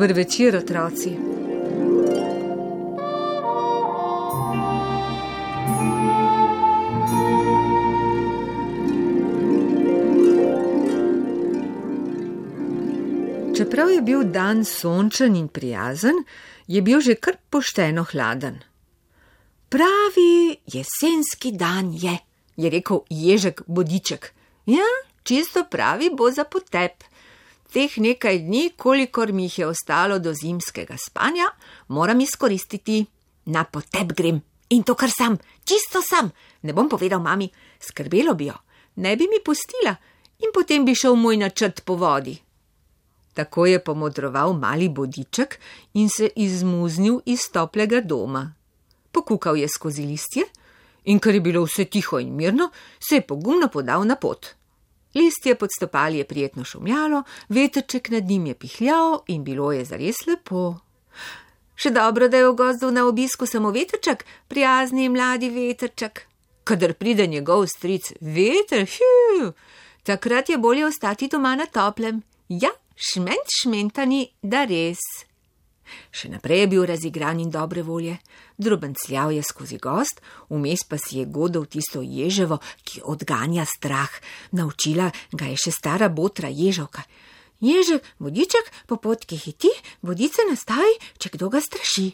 Dober večer, otroci. Čeprav je bil dan sončen in prijazen, je bil že kar pošteno hladen. Pravi jesenski dan je rekel Ježek Bodiček. Ja, čisto pravi bo za potep. Teh nekaj dni, kolikor mi jih je ostalo do zimskega spanja, moram izkoristiti. Na potep grem. In to kar sam, čisto sam. Ne bom povedal mami, skrbelo bi jo. Ne bi mi pustila in potem bi šel moj načrt po vodi. Tako je pomodroval mali Bodiček in se izmuznil iz toplega doma. Pokukal je skozi listje in ker je bilo vse tiho in mirno, se je pogumno podal na pot. Listje pod stopali je prijetno šumljalo, vetrček nad njim je pihljal in bilo je zares lepo. Še dobro, da je v gozdu na obisku samo vetrček, prijazni mladi vetrček. Kadar pride njegov stric veter, takrat je bolje ostati doma na toplem. Ja, šmentani, da res. Še naprej je bil razigran in dobre volje. Drobencljal je skozi gozd, vmes pa si je godal tisto ježevo, ki odganja strah. Naučila ga je še stara botra ježovka. Ježek, Bodiček, po potki hiti, bodice nastavi, če kdo ga straši.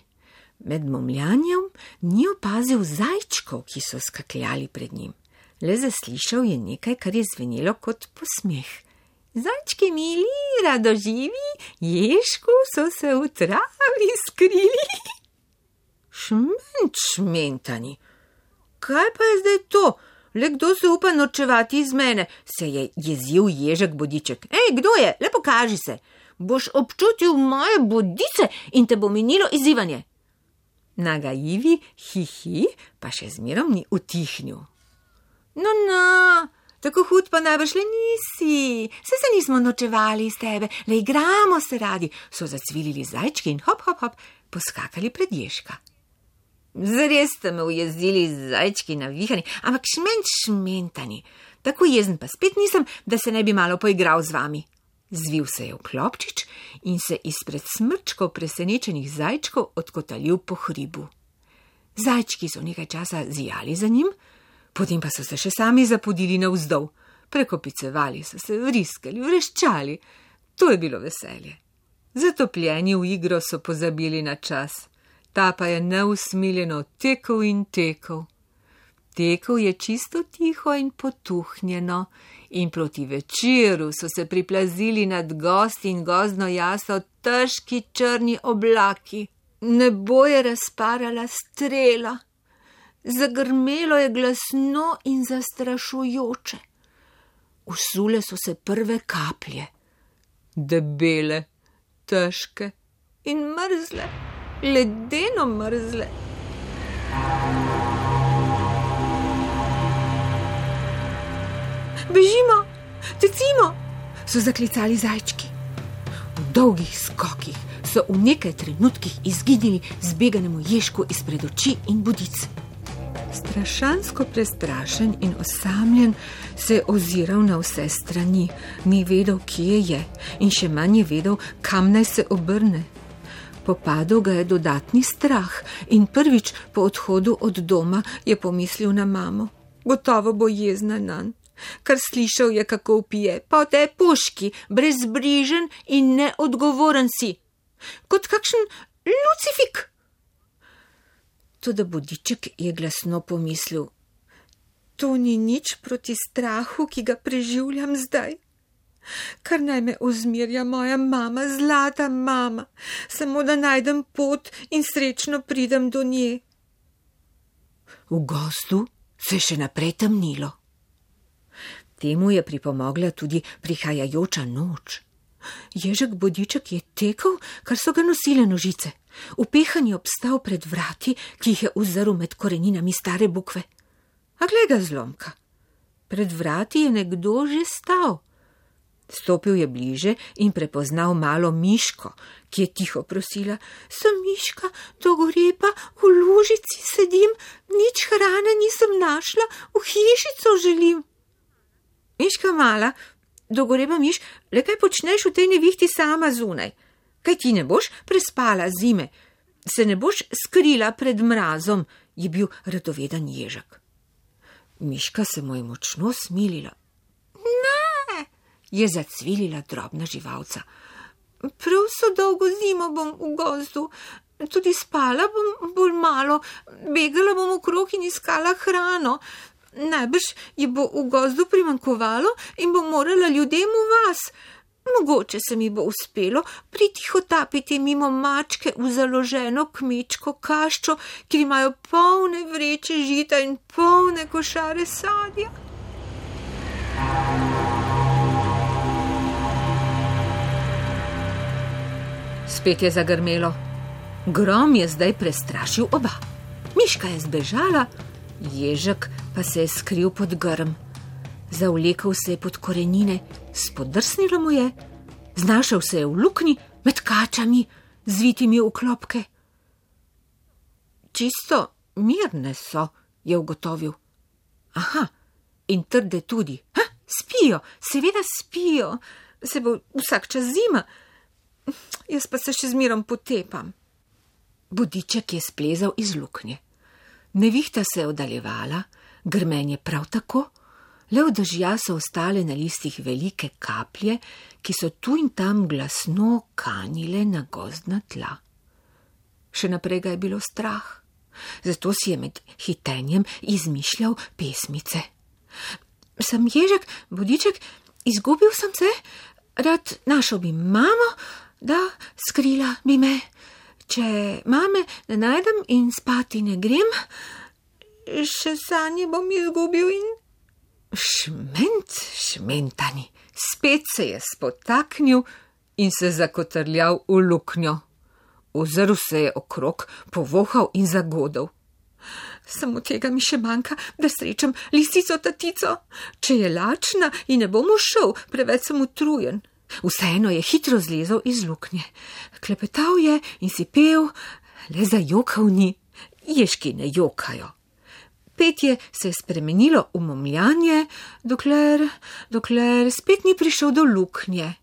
Med momljanjem ni opazil zajčkov, ki so skakljali pred njim. Le zaslišal je nekaj, kar je zvenelo kot posmeh. Zajčki mili, radoživi, ježku so se v travi skrili. Šmentani, kaj pa je zdaj to? Le kdo se upa norčevati iz mene, se je jezil Ježek Bodiček. Ej, kdo je? Le pokaži se. Boš občutil moje bodice in te bo minilo izzivanje. Nagajivi hihi pa še zmerom ni utihnil. No, tako hud pa najbrž le nisi. Se nismo norčevali iz tebe, le igramo se radi, so zacvilili zajčki in hop, poskakali pred Ježka. Zares ste me ujezili zajčki navihani, ampak šmentani. Tako jezen pa spet nisem, da se ne bi malo poigral z vami. Zvil se je v klopčič in se izpred smrčkov presenečenih zajčkov odkotalil po hribu. Zajčki so nekaj časa zijali za njim, potem pa so se še sami zapodili navzdol. Prekopicevali so se, vriskali, vreščali. To je bilo veselje. Zatopljeni v igro so pozabili na čas. Ta pa je neusmiljeno tekel in tekel. Tekel je čisto tiho in potuhnjeno in proti večeru so se priplazili nad gozd in gozdno jaso težki črni oblaki. Nebo je razparala strela. Zagrmelo je glasno in zastrašujoče. Usule so se prve kaplje. Debele, težke in mrzle. Ledeno mrzle. Bežimo, tecimo, so zaklicali zajčki. V dolgih skokih so v nekaj trenutkih izginili zbeganemu Ježku izpred oči in bodic. Strašansko prestrašen in osamljen se je oziral na vse strani, ni vedel, kje je in še manj je vedel, kam naj se obrne. Popadel ga je dodatni strah in prvič po odhodu od doma je pomislil na mamo. Gotovo bo jezna nanj, kar slišal je, kako vpije. Pa te puški, brezbrižen in neodgovoren si, kot kakšen lucifik. Toda Bodiček je glasno pomislil, to ni nič proti strahu, ki ga preživljam zdaj. Kar naj me ozmirja moja mama, zlata mama, samo da najdem pot in srečno pridem do nje. V gozdu se je še naprej temnilo. Temu je pripomogla tudi prihajajoča noč. Ježek Bodiček je tekel, kar so ga nosile nožice. Upehan je obstal pred vrati, ki jih je uzrl med koreninami stare bukve. A glej ga zlomka, pred vrati je nekdo že stal. Stopil je bliže in prepoznal malo Miško, ki je tiho prosila. Sem Miška, dogorepa, v lužici sedim, nič hrane nisem našla, v hišico želim. Miška mala, dogorepa Miš, le kaj počneš v tej nevihti sama zunaj? Kaj ti ne boš prespala zime? Se ne boš skrila pred mrazom, je bil radoveden ježek. Miška se mu je močno smilila. Ne, je zacvilila drobna živalca. Prav so dolgo zimo bom v gozdu, tudi spala bom bolj malo, begala bom okrog in iskala hrano. Najbrž je bo v gozdu primanjkovalo in bom morala ljudem v vas. Mogoče se mi bo uspelo pritihotapiti mimo mačke v založeno kmečko kaščo, kjer imajo polne vreče žita in polne košare sadja. Spet je zagrmelo. Grom je zdaj prestrašil oba. Miška je zbežala, ježek pa se je skril pod grm. Zavlekel se je pod korenine, spodrsnilo mu je, znašel se je v luknji med kačami, zvitimi v klopke. Čisto mirne so, je ugotovil. Aha, in trde tudi. Spijo, seveda spijo, se bo vsak čas zima. Jaz pa se še zmerom potepam. Bodiček je splezal iz luknje. Nevihta se je oddaljevala, grmenje prav tako. Le od dežja so ostale na listih velike kaplje, ki so tu in tam glasno kanile na gozdna tla. Še naprej ga je bilo strah, zato si je med hitenjem izmišljal pesmice. Sem ježek, bodiček, izgubil sem se, rad našel bi mamo, da skrila bi me. Če mame ne najdem in spati ne grem, še sanje bom izgubil in... Šmentani, spet se je spotaknil in se zakotrljal v luknjo. Ozrl se je okrog, povohal in zagodel. Samo tega mi še manjka, da srečam lisico tatico. Če je lačna in ne bom šel, preveč sem utrujen. Vseeno je hitro zlezel iz luknje. Klepetal je in si pel, le zajokal ni. Ježki ne jokajo. Petje se je spremenilo v momljanje, dokler spet ni prišel do luknje.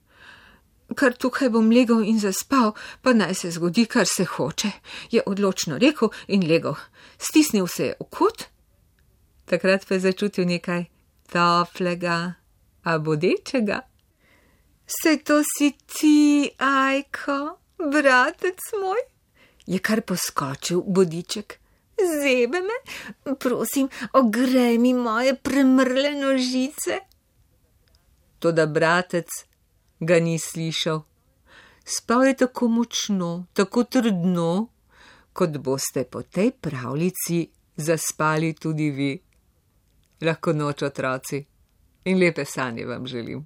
Kar tukaj bom legel in zaspal, pa naj se zgodi, kar se hoče, je odločno rekel in legel. Stisnil se je v kot, takrat pa je začutil nekaj toplega, a bodečega. Saj to si ti, Ajko, bratec moj, je kar poskočil bodiček. Zebe me, prosim, ogrej mi moje premrle nožice. Toda bratec ga ni slišal. Spal je tako močno, tako trdno, kot boste po tej pravljici zaspali tudi vi. Lahko noč, otroci, in lepe sanje vam želim.